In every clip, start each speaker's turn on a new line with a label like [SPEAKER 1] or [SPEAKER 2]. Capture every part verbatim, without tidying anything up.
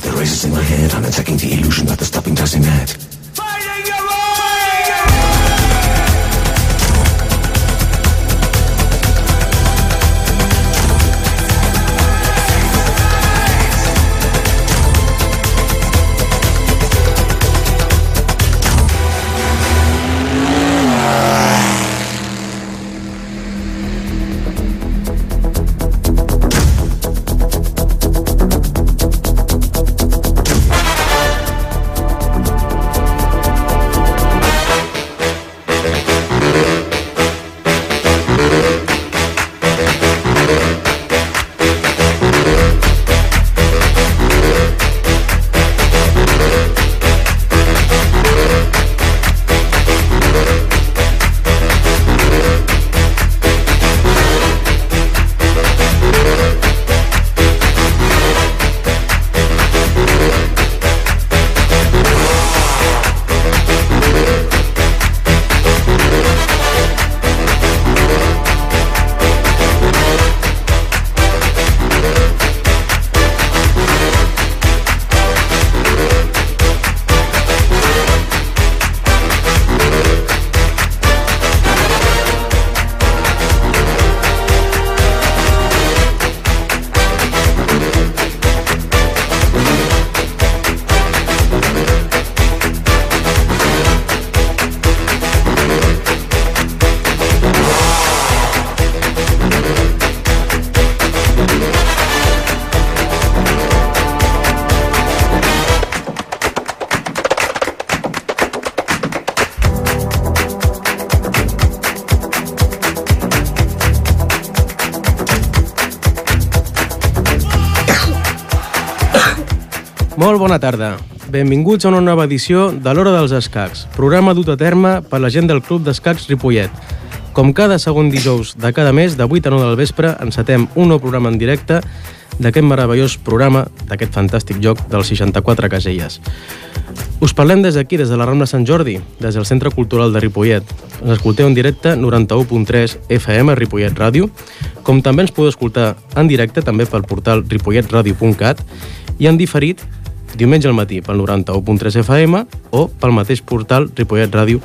[SPEAKER 1] The razors in my head, I'm attacking the illusion that the stopping doesn't add.
[SPEAKER 2] Molt bona tarda. Benvinguts a una nova edició de l'Hora dels Escacs, programa dut a terme per la gent del Club d'Escacs Ripollet. Com cada segon dijous de cada mes, de vuit a nou del vespre, encetem un nou programa en directe d'aquest meravellós programa, d'aquest fantàstic joc dels seixanta-quatre caselles. Us parlem des d'aquí, des de la Rambla Sant Jordi, des del Centre Cultural de Ripollet. Ens escolteu en directe noranta-u punt tres F M Ripollet Ràdio, com també ens podeu escoltar en directe també pel portal ripollet radio punt cat i en diferit diumenge al matí pel noranta-u punt tres F M o pel mateix portal ripollet radio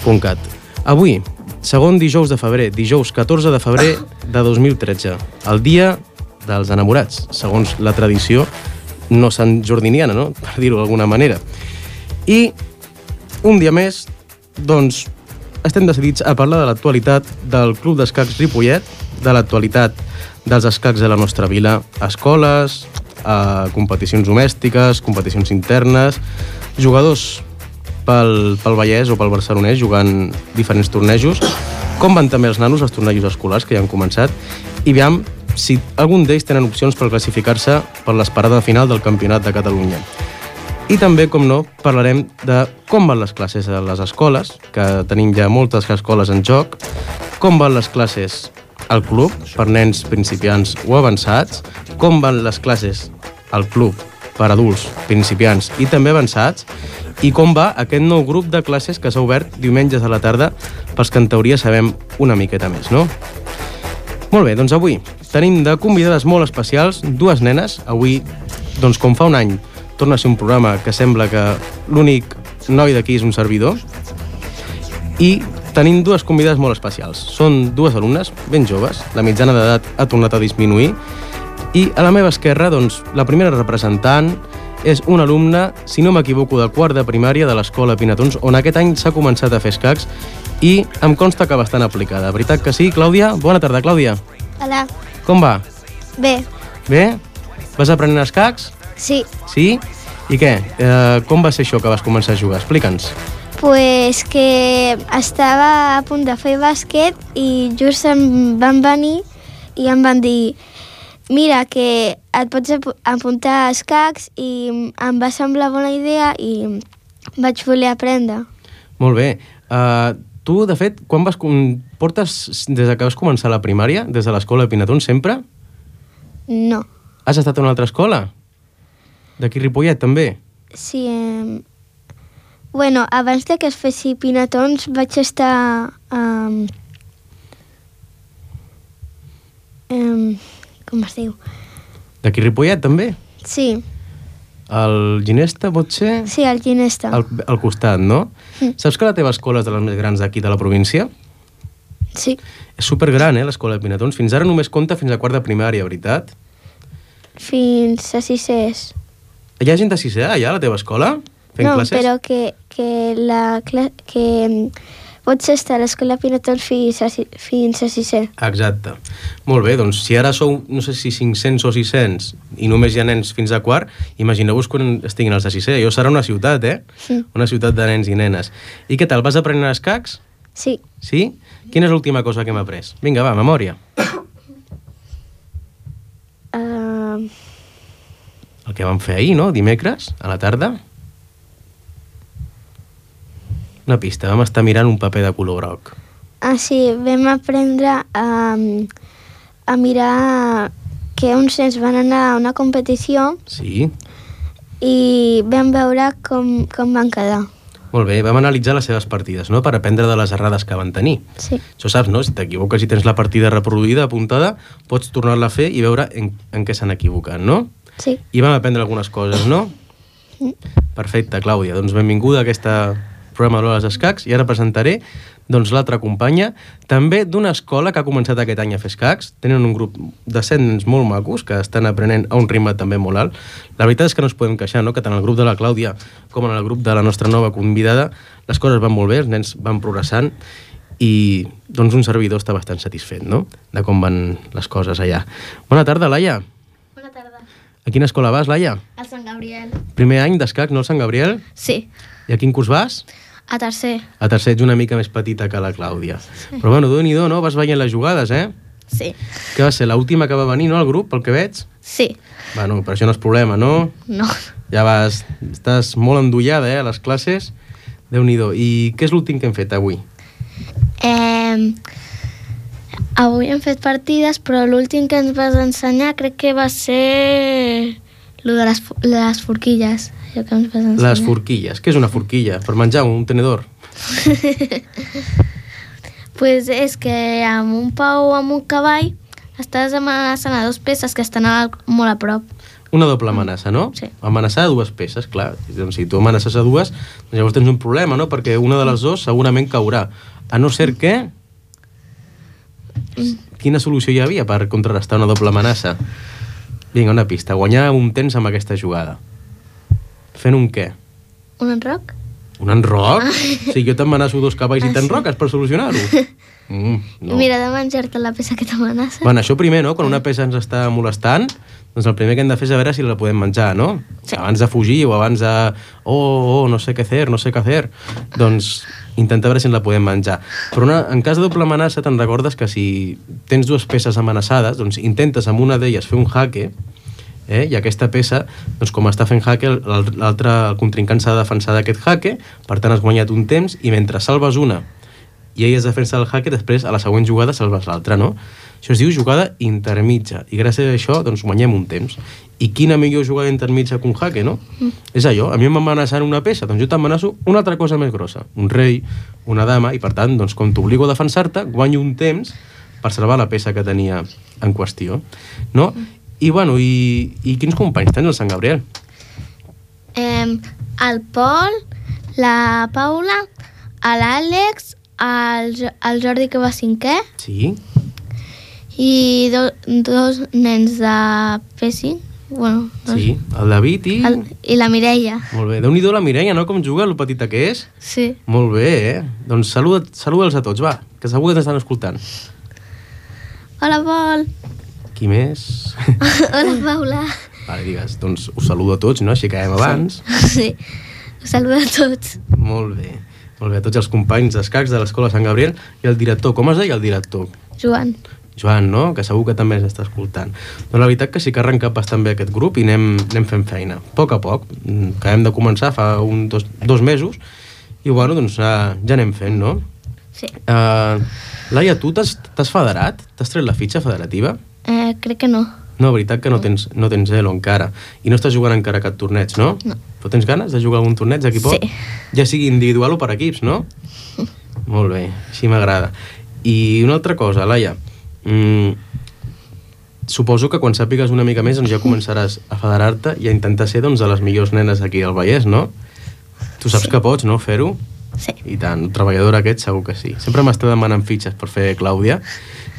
[SPEAKER 2] punt cat. Avui, segon dijous de febrer, dijous catorze de febrer de dos mil tretze, el dia dels enamorats, segons la tradició no santjordiniana, no? Per dir-ho d'alguna manera. I un dia més, doncs, estem decidits a parlar de l'actualitat del Club d'Escacs Ripollet, de l'actualitat dels escacs de la nostra vila, escoles, a competicions domèstiques, competicions internes, jugadors pel, pel Vallès o pel Barcelonès jugant diferents tornejos, com van també els nanos als tornejos escolars que ja han començat, i veiem si algun d'ells tenen opcions per classificar-se per l'esperada final del Campionat de Catalunya. I també, com no, parlarem de com van les classes a les escoles, que tenim ja moltes escoles en joc, com van les classes al club, per nens principiants o avançats, com van les classes al club per adults, principiants i també avançats, i com va aquest nou grup de classes que s'ha obert diumenges a la tarda pels que en teoria sabem una miqueta més, no? Molt bé, doncs avui tenim de convidades molt especials dues nenes. Avui, doncs com fa un any, torna a ser un programa que sembla que l'únic noi d'aquí és un servidor, i tenim dues convidades molt especials. Són dues alumnes ben joves, la mitjana d'edat ha tornat a disminuir, i a la meva esquerra, doncs, la primera representant és una alumna, si no m'equivoco, de quart de primària de l'Escola Pinatons, on aquest any s'ha començat a fer escacs i em consta que bastant aplicada. Veritat que sí, Clàudia? Bona tarda, Clàudia.
[SPEAKER 3] Hola.
[SPEAKER 2] Com va?
[SPEAKER 3] Bé.
[SPEAKER 2] Bé? Vas aprenent escacs?
[SPEAKER 3] Sí.
[SPEAKER 2] Sí? I què? Eh, com va ser això que vas començar a jugar? Explica'ns.
[SPEAKER 3] Pues que estava a punt de fer bàsquet i just em van venir i em van dir mira, que et pots apuntar a escacs, i em va semblar bona idea i vaig voler aprendre.
[SPEAKER 2] Molt bé. Uh, tu, de fet, quan vas... Portes des que vas començar la primària, des de l'Escola de Pinatons, sempre?
[SPEAKER 3] No.
[SPEAKER 2] Has estat a una altra escola? D'aquí Ripollet, també?
[SPEAKER 3] Sí. Eh... Bueno, abans de que es fessi Pinatons vaig estar... Um... Um... Com es diu?
[SPEAKER 2] D'aquí Ripollet, també?
[SPEAKER 3] Sí.
[SPEAKER 2] El Ginesta, pot ser?
[SPEAKER 3] Sí, al Ginesta.
[SPEAKER 2] Al, al costat, no?
[SPEAKER 3] Mm.
[SPEAKER 2] Saps que la teva escola és de les més grans d'aquí de la província?
[SPEAKER 3] Sí.
[SPEAKER 2] És supergran, eh, l'escola de Pinatons. Fins ara només compta fins a quart de primària, veritat?
[SPEAKER 3] Fins a sisès.
[SPEAKER 2] Hi ha gent de sisè allà, a la teva escola? Fent
[SPEAKER 3] No,
[SPEAKER 2] classes?
[SPEAKER 3] però que, que, la, cla- que mm, pots estar a l'escola Pinatons fins a, si- fins a sisè.
[SPEAKER 2] Exacte. Molt bé, doncs si ara sou, no sé si cinc-cents o sis-cents i només hi ha nens fins a quart, imagineu-vos quan estiguin els de sisè. Jo serà una ciutat, eh?
[SPEAKER 3] Sí.
[SPEAKER 2] Una ciutat de nens i nenes. I què tal, vas aprenent escacs?
[SPEAKER 3] Sí.
[SPEAKER 2] Sí? Quina és l'última cosa que hem après? Vinga, va, memòria.
[SPEAKER 3] Uh,
[SPEAKER 2] El que vam fer ahir, no? Dimecres, a la tarda. Una pista, vam estar mirant un paper de color groc.
[SPEAKER 3] ah, sí, vam aprendre a, a mirar que uns nens van anar a una competició
[SPEAKER 2] Sí?
[SPEAKER 3] i vam veure com, com van quedar.
[SPEAKER 2] Molt bé, vam analitzar les seves partides, no?, per aprendre de les errades que van tenir.
[SPEAKER 3] Sí.
[SPEAKER 2] Això saps, no? Si t'equivoques i tens la partida reproduïda, apuntada, pots tornar-la a fer i veure en, en què s'han equivocat, no?
[SPEAKER 3] Sí.
[SPEAKER 2] I vam aprendre algunes coses, no? Perfecte, Clàudia. Doncs benvinguda a aquesta programa de l'Hora dels Escacs i ara presentaré doncs, l'altra companya, també d'una escola que ha començat aquest any a fer escacs. Tenen un grup de set nens molt macos que estan aprenent a un ritme també molt alt. La veritat és que no ens podem queixar, no?, que tant el grup de la Clàudia com en el grup de la nostra nova convidada les coses van molt bé, els nens van progressant i doncs un servidor està bastant satisfet, no?, de com van les coses allà. Bona tarda, Laia.
[SPEAKER 4] Bona tarda.
[SPEAKER 2] A quina escola vas, Laia?
[SPEAKER 4] A Sant Gabriel.
[SPEAKER 2] Primer any d'escacs, no, al Sant Gabriel?
[SPEAKER 4] Sí,
[SPEAKER 2] I a quin curs vas?
[SPEAKER 4] a tercer.
[SPEAKER 2] A tercer ets una mica més petita que la Clàudia. Sí. Però bueno, Déu-n'hi-do, no? Vas veient les jugades, eh?
[SPEAKER 4] Sí.
[SPEAKER 2] Que va ser l'última que va venir, no, al grup, pel que veig?
[SPEAKER 4] Sí.
[SPEAKER 2] Bueno, però això no és problema, no?
[SPEAKER 4] No.
[SPEAKER 2] Ja vas... Estàs molt endollada, eh, a les classes. Déu-n'hi-do. I què és l'últim que hem fet avui?
[SPEAKER 4] Eh, avui hem fet partides, però l'últim que ens vas ensenyar crec que va ser lo de les, fu- les forquilles. Allò que ens vas ensenyar.
[SPEAKER 2] Les forquilles. Què és una forquilla? Per menjar un tenedor?
[SPEAKER 4] Pues és que amb un pau o amb un cavall estàs amenaçant a dos peces que estan a, molt a prop.
[SPEAKER 2] Una doble amenaça, no?
[SPEAKER 4] Sí.
[SPEAKER 2] Amenaçar a dues peces, clar. Doncs si tu amenaces a dues, doncs llavors tens un problema, no? Perquè una de les dues segurament caurà. A no ser que... Quina solució hi havia per contrarrestar una doble amenaça? Vinga, una pista. Guanyar un temps amb aquesta jugada. Fent un què?
[SPEAKER 4] Un enroc?
[SPEAKER 2] Un enroc? O sigui, jo t'amenaço dos cavalls i
[SPEAKER 4] Ah, sí.
[SPEAKER 2] t'enroques per solucionar-ho? Mm, no.
[SPEAKER 4] Mira de menjar-te la peça que t'amenaça.
[SPEAKER 2] Bueno, això primer, no? Quan una peça ens està molestant, doncs el primer que hem de fer és a veure si la podem menjar, no?
[SPEAKER 4] Sí.
[SPEAKER 2] Abans de fugir o abans de... Oh, oh, no sé què fer, no sé què fer. Doncs intentar veure si ens la podem menjar. Però una, en cas de doble amenaça, te'n recordes que si tens dues peces amenaçades, doncs intentes amb una d'elles fer un jaque, eh? I aquesta peça, doncs com està fent jaque, l'altre, el contrincant s'ha de defensar d'aquest jaque, per tant has guanyat un temps, i mentre salves una i ell es defensa del jaque, després a la següent jugada salves l'altra, no? Això es diu jugada intermitja, i gràcies a això doncs guanyem un temps. I quina millor jugada intermitja que un jaque, no? Mm. És allò, a mi m'amenaçant una peça, doncs jo t'amenaço una altra cosa més grossa, un rei, una dama, i per tant, doncs com t'obligo a defensar-te, guanyo un temps per salvar la peça que tenia en qüestió, no? I bueno, i, i quins companys tens al Sant Gabriel?
[SPEAKER 4] Eh, el Pol, la Paula, l'Àlex, el, Jo- el Jordi que va cinquè
[SPEAKER 2] Sí?
[SPEAKER 4] i do, dos nens de P cinc. Bueno, dos.
[SPEAKER 2] Sí, el David i...
[SPEAKER 4] El, i la Mireia.
[SPEAKER 2] Molt bé, Déu-n'hi-do la Mireia, no? Com juga, lo petita que és.
[SPEAKER 4] Sí.
[SPEAKER 2] Molt bé, eh? Doncs saluda, saluda'ls a tots, va, que segur que t'estan escoltant.
[SPEAKER 4] Hola, Pol.
[SPEAKER 2] Qui més?
[SPEAKER 4] Hola, Paula.
[SPEAKER 2] Vale, digues, doncs us saludo a tots, no? Així que acabem abans.
[SPEAKER 4] Sí. Us saludo a tots.
[SPEAKER 2] Molt bé. Molt bé, a tots els companys d'escacs de l'Escola Sant Gabriel i el director. Com es deia el director?
[SPEAKER 4] Joan.
[SPEAKER 2] Joan, no? Que segur que també ens està escoltant. Doncs la veritat que sí que ha arrencat bastant bé aquest grup i anem, anem fent feina. A poc a poc. Mm, Acabem de començar fa un, dos, dos mesos i bueno, doncs ja, ja anem fent, no?
[SPEAKER 4] Sí.
[SPEAKER 2] Uh, Laia, tu t'has t'has federat? T'has tret la fitxa federativa?
[SPEAKER 4] Eh, crec que no.
[SPEAKER 2] No, veritat que no tens, no tens Elo encara. I no estàs jugant encara a cap torneig, no?
[SPEAKER 4] No.
[SPEAKER 2] Però tens ganes de jugar a algun torneig d'aquí poc?
[SPEAKER 4] Sí.
[SPEAKER 2] Ja sigui individual o per equips, no? Molt bé, així m'agrada. I una altra cosa, Laia. Mm, suposo que quan sàpigues una mica més doncs ja començaràs a federar-te i a intentar ser doncs, de les millors nenes aquí al Vallès, no? Tu saps sí. que pots, no, fer-ho?
[SPEAKER 4] Sí.
[SPEAKER 2] I tant, el treballador aquest segur que sí. Sempre m'està demanant fitxes per fer Clàudia.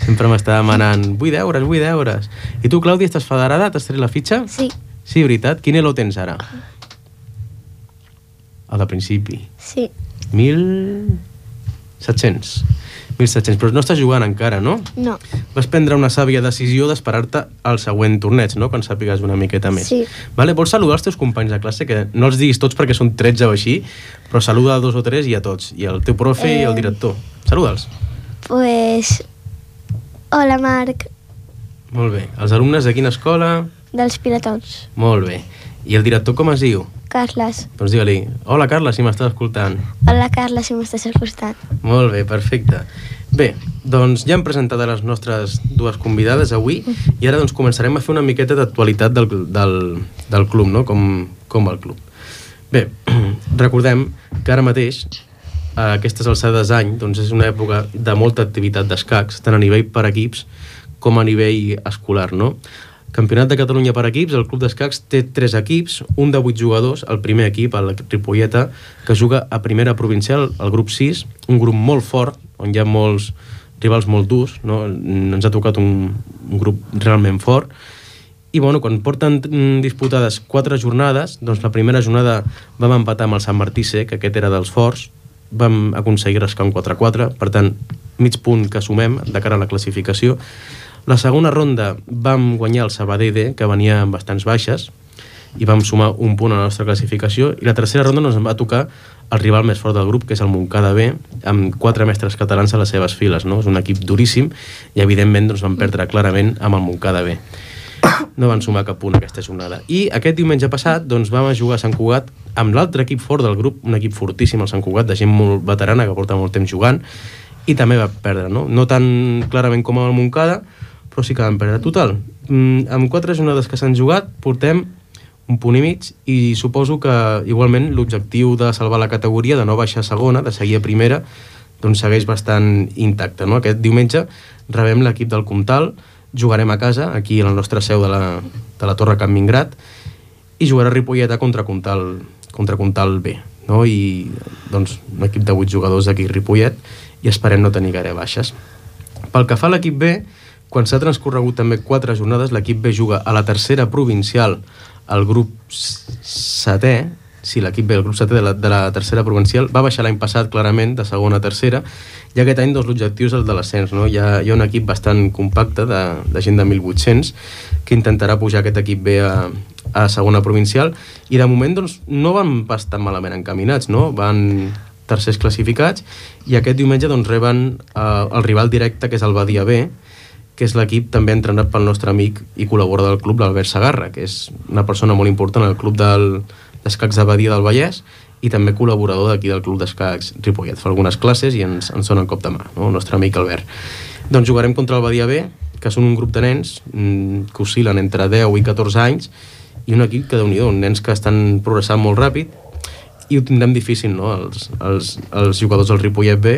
[SPEAKER 2] Sempre m'està demanant vull deures, vull deures. I tu, Clàudia, estàs federada? T'has tret la fitxa?
[SPEAKER 3] Sí.
[SPEAKER 2] Sí, veritat? Quin elo tens ara? El de principi.
[SPEAKER 3] Sí.
[SPEAKER 2] Mil... set-cents. mil set-cents. Però no estàs jugant encara, no?
[SPEAKER 3] No.
[SPEAKER 2] Vas prendre una sàvia decisió d'esperar-te al següent torneig, no? Quan sàpigues una miqueta més.
[SPEAKER 3] Sí.
[SPEAKER 2] Vale? Vols saludar els teus companys de classe? Que no els diguis tots perquè són tretze o així, però saluda a dos o tres i a tots. I el teu profe eh... i el director. Saluda'ls.
[SPEAKER 3] Pues... Hola, Marc.
[SPEAKER 2] Molt bé. Els alumnes de quina escola?
[SPEAKER 3] Dels Piratons.
[SPEAKER 2] Molt bé. I el director com es diu?
[SPEAKER 3] Carles.
[SPEAKER 2] Doncs digue-li, hola Carla, si m'estàs escoltant.
[SPEAKER 3] Hola, Carles, si m'estàs escoltant.
[SPEAKER 2] Molt bé, perfecte. Bé, doncs ja hem presentat a les nostres dues convidades avui i ara doncs començarem a fer una miqueta d'actualitat del, del, del club, no? Com, com va el club. Bé, recordem que ara mateix, a aquestes alçades d'any, doncs és una època de molta activitat d'escacs, tant a nivell per equips com a nivell escolar, no? Campionat de Catalunya per equips, el Club d'Escacs té tres equips, un de vuit jugadors, el primer equip, el Ripolleta, que juga a primera provincial, el grup sis, un grup molt fort, on hi ha molts rivals molt durs, no? Ens ha tocat un, un grup realment fort, i bueno, quan porten disputades quatre jornades, doncs la primera jornada vam empatar amb el Sant Martí C, que aquest era dels forts, vam aconseguir rascar un quatre a quatre, per tant, mig punt que sumem de cara a la classificació. La segona ronda vam guanyar el Sabadell D, que venia amb bastants baixes, i vam sumar un punt a la nostra classificació, i la tercera ronda ens va tocar el rival més fort del grup, que és el Montcada B, amb quatre mestres catalans a les seves files, no? És un equip duríssim, i evidentment doncs, vam perdre clarament amb el Montcada B. No van sumar cap punt aquesta jornada. I aquest diumenge passat doncs, vam jugar a Sant Cugat amb l'altre equip fort del grup, un equip fortíssim, el Sant Cugat, de gent molt veterana, que porta molt temps jugant, i també va perdre, no? No tan clarament com el Montcada, però sí que vam perdre. Total, amb quatre jornades que s'han jugat, portem un punt i mig, i suposo que igualment l'objectiu de salvar la categoria, de no baixar a segona, de seguir a primera, doncs segueix bastant intacte, no? Aquest diumenge rebem l'equip del Comtal, jugarem a casa, aquí a la nostra seu de la, de la Torre Can Mingrat, i jugarà Ripolleta contra Comtal, contra Comtal B, no? I doncs un equip de vuit jugadors d'aquí Ripollet, i esperem no tenir gaire baixes. Pel que fa a l'equip B, quan s'ha transcorregut també quatre jornades, l'equip B juga a la tercera provincial, el grup setè, sí, l'equip B, el grup setè de la, de la tercera provincial, va baixar l'any passat clarament de segona a tercera, i aquest any doncs, l'objectiu és el de l'ascens, no? Hi ha, hi ha un equip bastant compacte de, de gent de mil vuit-cents que intentarà pujar aquest equip B a, a segona provincial, i de moment doncs, no van bastant malament encaminats, no? Van tercers classificats, i aquest diumenge doncs, reben eh, el rival directe, que és el Badia B, que és l'equip també entrenat pel nostre amic i col·laborador del club, l'Albert Sagarra, que és una persona molt important al club del, d'escacs de Badia del Vallès, i també col·laborador d'aquí del club d'escacs Ripollet. Fa algunes classes i ens, ens dona un cop de mà, no? El nostre amic Albert. Doncs jugarem contra el Badia B, que són un grup de nens mmm, que oscil·len entre deu i catorze anys, i un equip que, déu-n'hi-do, nens que estan progressant molt ràpid, i ho tindrem difícil, no?, els, els, els jugadors del Ripollet B,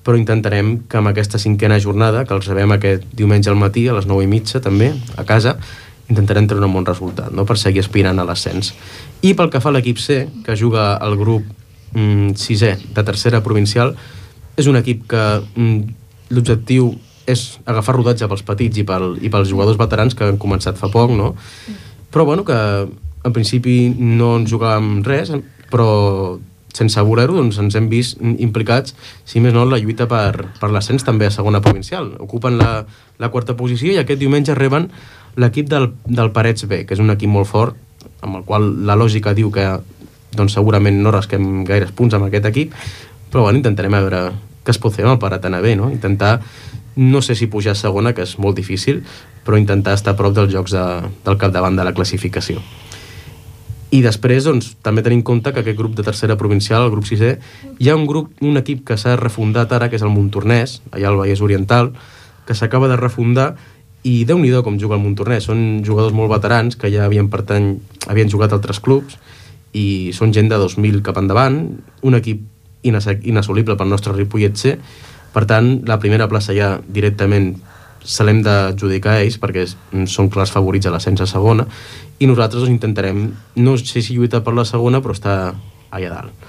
[SPEAKER 2] però intentarem que amb aquesta cinquena jornada, que els rebem aquest diumenge al matí, a les nou i mitja també, a casa, intentarem treure un bon resultat, no?, per seguir aspirant a l'ascens. I pel que fa a l'equip C, que juga al grup mm, sisè de tercera provincial, és un equip que mm, l'objectiu és agafar rodatge pels petits i, pel, i pels jugadors veterans que han començat fa poc, no? Però bueno, que en principi no ens jugàvem res, però sense voler-ho, doncs ens hem vist implicats, si més no, en la lluita per, per l'ascens també a segona provincial. Ocupen la, la quarta posició i aquest diumenge reben l'equip del, del Parets B, que és un equip molt fort, amb el qual la lògica diu que doncs, segurament no rasquem gaires punts amb aquest equip, però bueno, intentarem a veure què es pot fer amb el Paratana B, no? Intentar, no sé si pujar a segona, que és molt difícil, però intentar estar a prop dels jocs de, del capdavant de la classificació. I després, doncs, també tenim en compte que aquest grup de tercera provincial, el grup sisè, hi ha un grup, un equip que s'ha refundat ara, que és el Montornès, allà al Vallès Oriental, que s'acaba de refundar, i Déu-n'hi-do com juga el Montornès. Són jugadors molt veterans que ja havien, pertany, havien jugat a altres clubs, i són gent de dos mil cap endavant, un equip inassolible pel nostre Ripollet C. Per tant, la primera plaça ja directament se l'hem d'adjudicar a ells perquè són clars favorits a l'ascens a segona, i nosaltres doncs, intentarem, no sé si lluitar per la segona, però està allà dalt.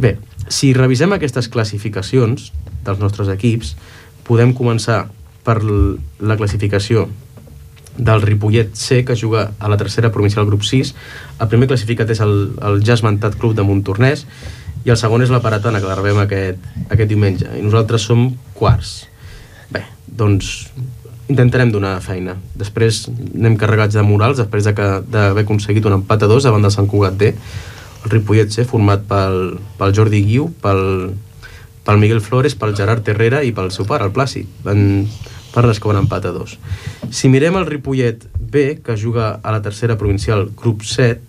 [SPEAKER 2] Bé, si revisem aquestes classificacions dels nostres equips, podem començar per la classificació del Ripollet C, que juga a la tercera provincial grup sis. El primer classificat és el, el ja esmentat club de Montornès, i el segon és la Paratana, que la rebem aquest, aquest diumenge, i nosaltres som quarts. Bé, doncs intentarem donar feina. Després anem carregats de morals, després d'haver aconseguit un empat a dos davant del Sant Cugat D. El Ripollet C, format pel, pel Jordi Guiu, pel, pel Miguel Flores, pel Gerard Herrera i pel seu pare, el Plàcid. Van per les que van empat a dos. Si mirem el Ripollet B, que juga a la tercera provincial grup set,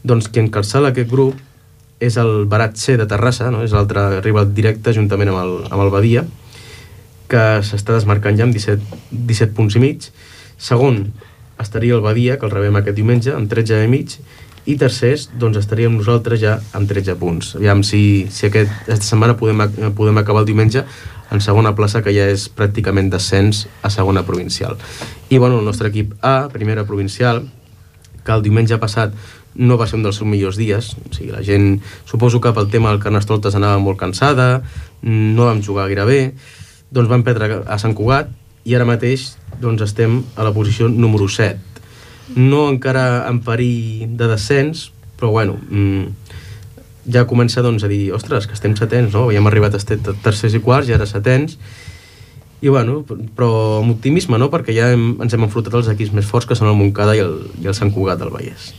[SPEAKER 2] doncs qui encalçala aquest grup és el Barat C de Terrassa, no? És l'altre rival directe juntament amb el, amb el Badia, que s'està desmarcant ja amb disset, disset punts i mig. Segon estaria el Badia, que el rebem aquest diumenge, amb tretze i mig, i tercers, doncs estaríem nosaltres ja amb tretze punts. Aviam si, si aquest, aquesta setmana podem, podem acabar el diumenge en segona plaça, que ja és pràcticament descens a segona provincial. I bueno, el nostre equip A, primera provincial, que el diumenge passat no va ser un dels seus millors dies, o sigui, la gent, suposo que pel tema del Carnestoltes anava molt cansada, no vam jugar gaire bé, doncs vam perdre a Sant Cugat, i ara mateix doncs estem a la posició número set. No encara en perill de descens, però bueno, ja comença doncs, a dir, ostres, que estem setens, no? Havíem arribat a estar tercers i quarts i ara setens, i bueno, però amb optimisme, no? Perquè ja hem, ens hem enfrontat als equips més forts, que són el Montcada i el, i el Sant Cugat del Vallès.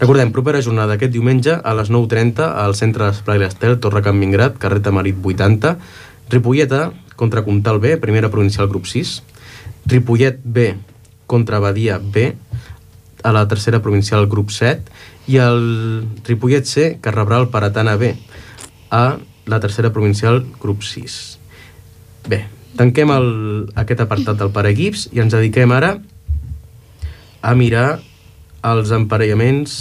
[SPEAKER 2] Recordem, propera jornada aquest diumenge a les nou trenta al centre d'Esplai l'Estel, Torre Can Mingrat, carrer Tamarit vuitanta, Ripollet A contra Comtal B, primera provincial grup sis, Ripollet B contra Badia B, a la tercera provincial grup set, i el Ripollet C, que rebrà el Paratana B, a la tercera provincial grup sis. Bé, tanquem el, aquest apartat del pareequips i ens dediquem ara a mirar els emparellaments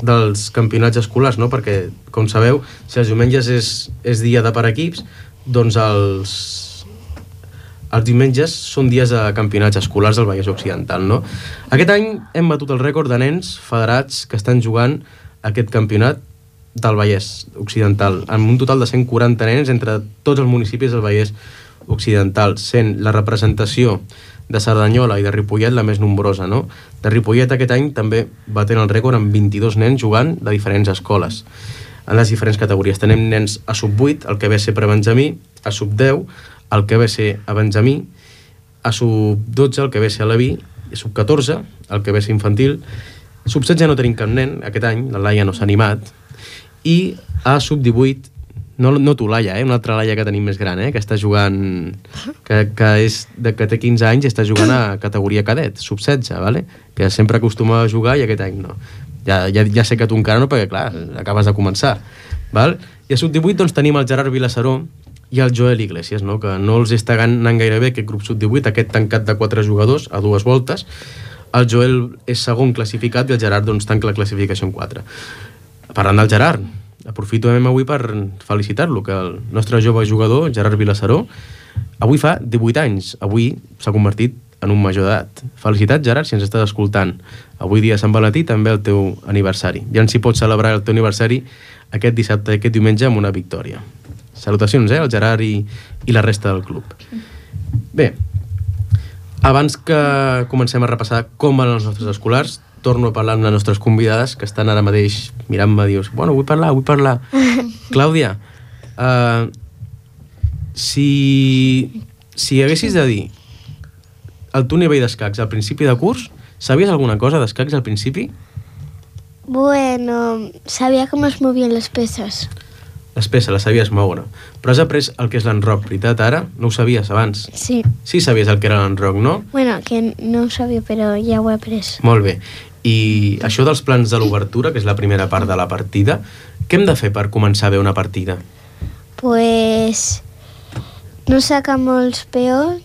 [SPEAKER 2] dels campionats escolars, no? Perquè, com sabeu, si els diumenges és, és dia de pareequips, doncs els, els diumenges són dies de campionats escolars del Vallès Occidental, no? Aquest any hem batut el rècord de nens federats que estan jugant aquest campionat del Vallès Occidental, amb un total de cent quaranta nens entre tots els municipis del Vallès Occidental, sent la representació de Cerdanyola i de Ripollet la més nombrosa, no? De Ripollet aquest any també batent el rècord amb vint-i-dos nens jugant de diferents escoles, en les diferents categories. Tenim nens a sub vuit, el que ve a ser prebenjamí, a sub deu, el que ve a ser a benjamí, a sub dotze, el que ve a ser a Leví, a sub catorze, el que ve a ser infantil, sub setze no tenim cap nen aquest any, la Laia no s'ha animat, i a sub divuit, no, no tu Laia, eh? Una altra Laia que tenim més gran, eh? Que està jugant, que, que, és de, que té quinze anys i està jugant a categoria cadet, sub setze, vale? Que sempre acostuma a jugar i aquest any no. Ja, ja, ja sé que tu encara no, perquè clar, acabes de començar, val? I a sub divuit doncs tenim el Gerard Vilassaró i el Joel Iglesias, no? Que no els està anant gaire bé aquest grup sub divuit, aquest tancat de quatre jugadors a dues voltes. El Joel és segon classificat i el Gerard doncs tanca la classificació en quatre. Parlant del Gerard, aprofitem avui per felicitar-lo, que el nostre jove jugador, Gerard Vilassaró, avui fa divuit anys, avui s'ha convertit en un major d'edat. Felicitats, Gerard, si ens estàs escoltant. Avui dia Sant Valentí, també el teu aniversari. Ja ens hi pots celebrar el teu aniversari aquest dissabte, aquest diumenge, amb una victòria. Salutacions, eh, al Gerard i, i la resta del club. Bé, abans que comencem a repassar com van els nostres escolars, torno a parlar amb les nostres convidades, que estan ara mateix mirant-me i dius, bueno, vull parlar, vull parlar. Clàudia, uh, si, si haguessis de dir el teu nivell d'escacs al principi de curs, sabies alguna cosa d'escacs al principi?
[SPEAKER 3] Bueno, sabia com es movien les peces.
[SPEAKER 2] Les peces, les sabies moure. Però has après el que és l'enroc, veritat, ara? No ho sabies abans?
[SPEAKER 3] Sí.
[SPEAKER 2] Sí sabies el que era l'enroc, no?
[SPEAKER 3] Bueno, que no ho sabia, però ja ho he après.
[SPEAKER 2] Molt bé. I això dels plans de l'obertura, que és la primera part de la partida, què hem de fer per començar bé una partida?
[SPEAKER 3] Pues no sacar molts peons.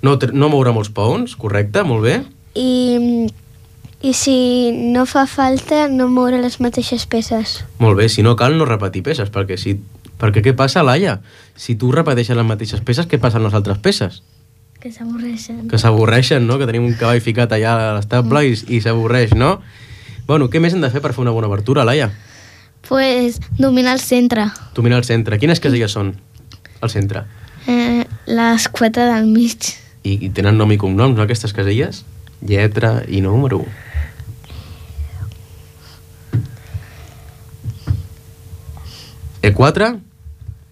[SPEAKER 2] No, no moure molts peons, correcte, molt bé.
[SPEAKER 3] I, i si no fa falta, no moure les mateixes peces.
[SPEAKER 2] Molt bé, si no cal no repetir peces, perquè, si, perquè què passa, Laia? Si tu repeteixes les mateixes peces, què passa amb les altres peces?
[SPEAKER 3] Que
[SPEAKER 4] Que s'avorreixen.
[SPEAKER 2] Que s'avorreixen, no? Que tenim un cavall ficat allà a l'estable i, i s'avorreix, no? Bueno, què més hem de fer per fer una bona obertura, Laia?
[SPEAKER 4] Pues dominar el centre.
[SPEAKER 2] Dominar el centre. Quines caselles són al centre?
[SPEAKER 4] Eh, les quatre del mig.
[SPEAKER 2] I, I tenen nom i cognoms, no, aquestes caselles? Lletra i número. E quatre,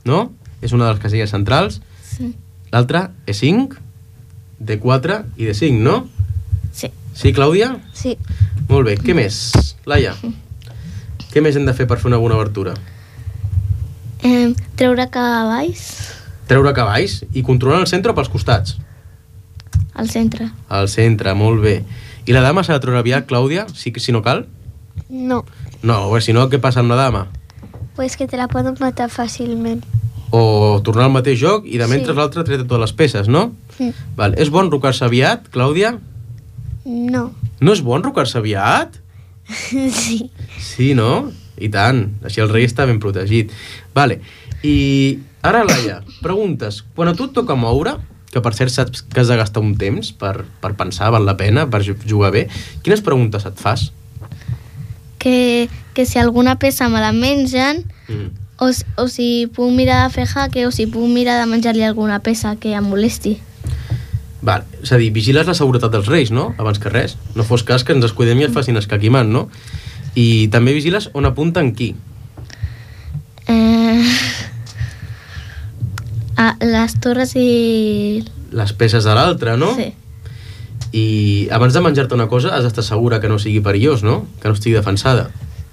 [SPEAKER 2] no? És una de les caselles centrals.
[SPEAKER 4] Sí.
[SPEAKER 2] L'altra, E cinc, D quatre i D cinc, no?
[SPEAKER 4] Sí.
[SPEAKER 2] Sí, Clàudia?
[SPEAKER 3] Sí.
[SPEAKER 2] Molt bé. Què més, Laia? Què més hem de fer per fer una bona obertura?
[SPEAKER 4] Eh, treure cavalls
[SPEAKER 2] Treure cavalls i controlar el centre o pels costats?
[SPEAKER 4] al centre.
[SPEAKER 2] Al centre, molt bé. I la dama s'ha de treure aviat, Clàudia, si, si no cal?
[SPEAKER 3] No,
[SPEAKER 2] No, bé, si no, què passa amb la dama?
[SPEAKER 3] pues que te la poden matar fàcilment.
[SPEAKER 2] O tornar al mateix joc i de mentre
[SPEAKER 3] Sí.
[SPEAKER 2] l'altre treta totes les peces, no?
[SPEAKER 3] Mm.
[SPEAKER 2] Val. És bon enrocar-se aviat, Clàudia?
[SPEAKER 3] No.
[SPEAKER 2] No és bon enrocar-se aviat?
[SPEAKER 3] Sí.
[SPEAKER 2] Sí, no? I tant. Així el rei està ben protegit. Vale. I ara, Laia, preguntes. Quan a tu et toca moure, que per cert saps que has de gastar un temps per, per pensar, val la pena, per jugar bé, quines preguntes et fas?
[SPEAKER 4] Que, que si alguna peça me la mengen,
[SPEAKER 2] Mm.
[SPEAKER 4] o, s- o si puc mirar de fer jaque, o si puc mirar de menjar-li alguna peça que em molesti.
[SPEAKER 2] Val. És a dir, vigiles la seguretat dels reis, no? Abans que res. No fos cas que ens descuidem i es facin escaquimant, no? I també vigiles on apunten qui.
[SPEAKER 4] Eh, a les torres i...
[SPEAKER 2] Les peces de l'altre, no?
[SPEAKER 4] Sí.
[SPEAKER 2] I abans de menjar-te una cosa has d'estar segura que no sigui perillós, no? Que no estigui defensada.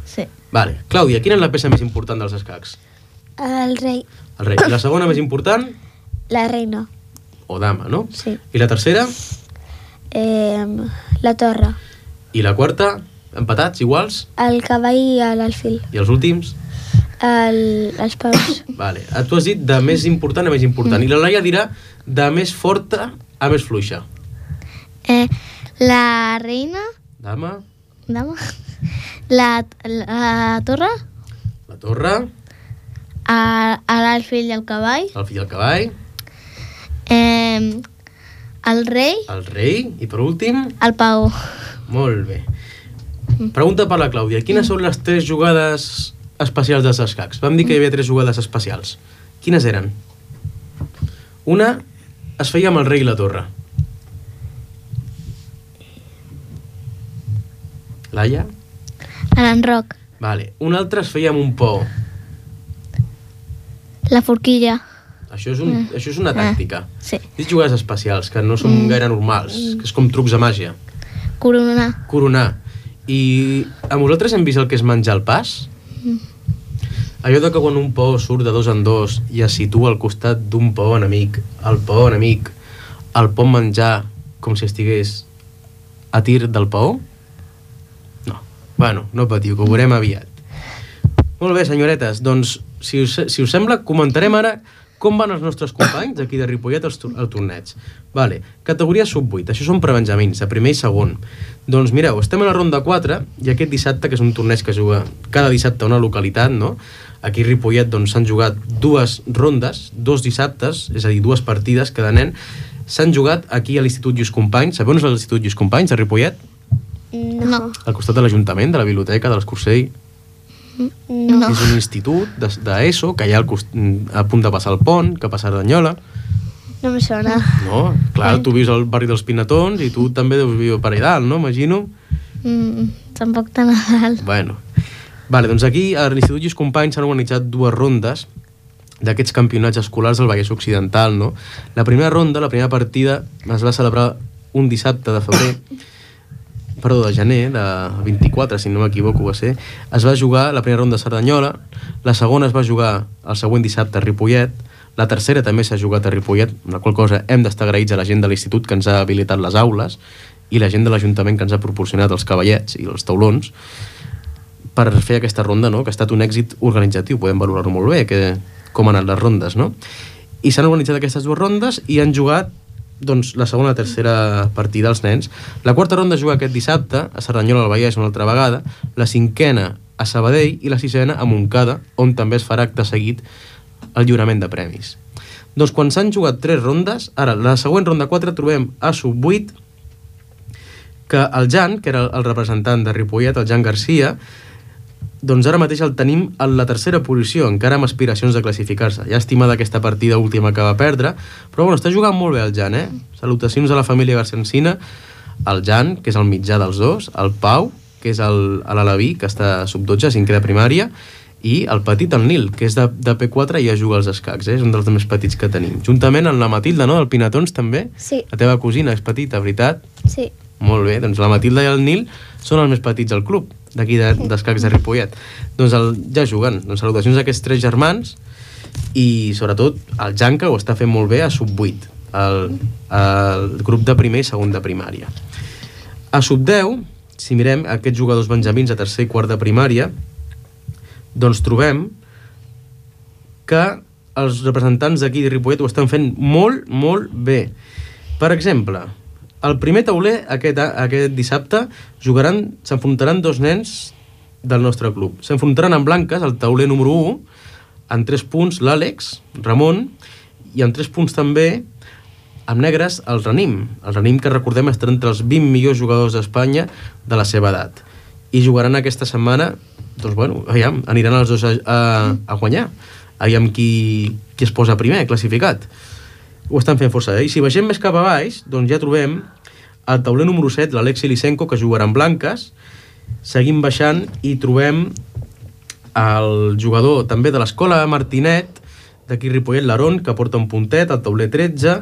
[SPEAKER 4] Sí.
[SPEAKER 2] Vale. Clàudia, quina és la peça més important dels escacs?
[SPEAKER 3] El rei.
[SPEAKER 2] El rei. I la segona més important?
[SPEAKER 3] La reina.
[SPEAKER 2] O dama, no?
[SPEAKER 3] Sí.
[SPEAKER 2] I la tercera?
[SPEAKER 3] Eh, la torre.
[SPEAKER 2] I la quarta? Empatats, iguals?
[SPEAKER 3] El cavall i l'alfil.
[SPEAKER 2] I els últims?
[SPEAKER 3] El, els paus.
[SPEAKER 2] Vale. Tu has dit de més important a més important. I la Laia dirà de més forta a més fluixa.
[SPEAKER 4] Eh, la reina...
[SPEAKER 2] Dama,
[SPEAKER 4] Dama? La, la torre,
[SPEAKER 2] la torre,
[SPEAKER 4] a, a l'alfil i el cavall,
[SPEAKER 2] el fill del cavall,
[SPEAKER 4] eh, el rei,
[SPEAKER 2] el rei i per últim...
[SPEAKER 4] el pau.
[SPEAKER 2] Molt bé. Pregunta per la Clàudia. Quines són les tres jugades especials dels escacs? Vam dir que hi havia tres jugades especials. Quines eren? Una es feia amb el rei i la torre. Laia?
[SPEAKER 4] L'enroc,
[SPEAKER 2] Vale. Una altra es feia amb un pou.
[SPEAKER 4] la forquilla.
[SPEAKER 2] Això és, un, això és una tàctica.
[SPEAKER 4] Sí.
[SPEAKER 2] Dic jugades especials, que no són gaire normals, que és com trucs de màgia.
[SPEAKER 4] Corona.
[SPEAKER 2] Coronar. I a vosaltres hem vist el que és menjar el pas? Allò de que quan un pou surt de dos en dos i es situa al costat d'un pou enemic, el pou enemic el pot menjar com si estigués a tir del pou? No. Bueno, no patiu, que ho veurem aviat. Molt bé, senyoretes, doncs, si us, si us sembla, comentarem ara com van els nostres companys aquí de Ripollet al, al torneig. Vale, categoria sub vuit, això són prebenjamins, de primer i segon. Doncs mireu, estem a la ronda quatre i aquest dissabte, que és un torneig que es juga cada dissabte a una localitat, no? Aquí a Ripollet doncs, s'han jugat dues rondes, dos dissabtes, és a dir, dues partides cada nen, s'han jugat aquí a l'Institut Lluís Companys. Sabeu on és l'Institut Lluís Companys, de Ripollet?
[SPEAKER 3] No.
[SPEAKER 2] Al costat de l'Ajuntament, de la biblioteca, de l'Escursell.
[SPEAKER 3] No.
[SPEAKER 2] És un institut d'ESO que hi ha al cost... a punt de passar el pont, que passa a Ardanyola.
[SPEAKER 3] No em sona.
[SPEAKER 2] No? Clar, tu vius al barri dels Pinatons i tu també deus viure per allà dalt, no? Imagino.
[SPEAKER 4] Mm, tampoc tan a dalt.
[SPEAKER 2] Bueno. Vale, doncs aquí a l'Institut Lluís Companys s'han organitzat dues rondes d'aquests campionats escolars del Vallès Occidental, no? La primera ronda, la primera partida, es va celebrar un dissabte de febrer, perdó, de gener, de vint-i-quatre, si no m'equivoco va ser. Es va jugar la primera ronda a Cerdanyola, la segona es va jugar el següent dissabte a Ripollet, la tercera també s'ha jugat a Ripollet, amb la qual cosa hem d'estar agraïts a la gent de l'institut que ens ha habilitat les aules i la gent de l'Ajuntament que ens ha proporcionat els cavallets i els taulons per fer aquesta ronda, no? Que ha estat un èxit organitzatiu, podem valorar-ho molt bé, que, com han anat les rondes, no? I s'han organitzat aquestes dues rondes i han jugat doncs, la segona i la tercera partida als nens. La quarta ronda es juga aquest dissabte a Cerdanyola del Vallès una altra vegada, la cinquena a Sabadell i la sisena a Montcada, on també es farà acte seguit el lliurament de premis. Doncs quan s'han jugat tres rondes, ara, la següent ronda quatre trobem a sub vuit, que el Jan, que era el representant de Ripollet, el Jan Garcia, doncs ara mateix el tenim en la tercera posició, encara amb aspiracions de classificar-se. Llàstima d'aquesta partida última que va perdre, però bueno, està jugant molt bé el Jan, eh? Salutacions a la família Garcia Encina, el Jan, que és el mitjà dels dos, el Pau, que és l'Alaví, que està a sub dotze, cinquè de primària, i el petit, el Nil, que és de, de P quatre i ja juga als escacs, eh? És un dels més petits que tenim. Juntament amb la Matilda, no?, del Pinatons, també.
[SPEAKER 3] Sí.
[SPEAKER 2] La teva cosina és petita, veritat?
[SPEAKER 3] Sí.
[SPEAKER 2] Molt bé, doncs la Matilda i el Nil són els més petits del club, d'aquí d'escacs de Ripollet. Doncs el, ja juguen. Doncs salutacions a aquests tres germans i sobretot el Jan, que ho està fent molt bé a sub vuit, el, el grup de primer i segon de primària. A sub deu, si mirem aquests jugadors benjamins a tercer i quart de primària, doncs trobem que els representants d'aquí de Ripollet ho estan fent molt, molt bé. Per exemple, el primer tauler aquest, aquest dissabte jugaran, s'enfrontaran dos nens del nostre club. S'enfrontaran en blanques, el tauler número u, en tres punts l'Àlex, Ramon, i en tres punts també, amb negres, el Ranim. El Ranim, que recordem, està entre els vint millors jugadors d'Espanya de la seva edat. I jugaran aquesta setmana, doncs bueno, aviam, aniran els dos a, a, a guanyar. Aviam qui, qui es posa primer, classificat. Ho estan fent força bé. I si baixem més cap a baix, doncs ja trobem el tauler número set, l'Alexi Lisenko, que jugarà en blanques. Seguim baixant i trobem el jugador també de l'escola Martinet, d'aquí Ripollet, l'Aron, que porta un puntet, el tauler tretze.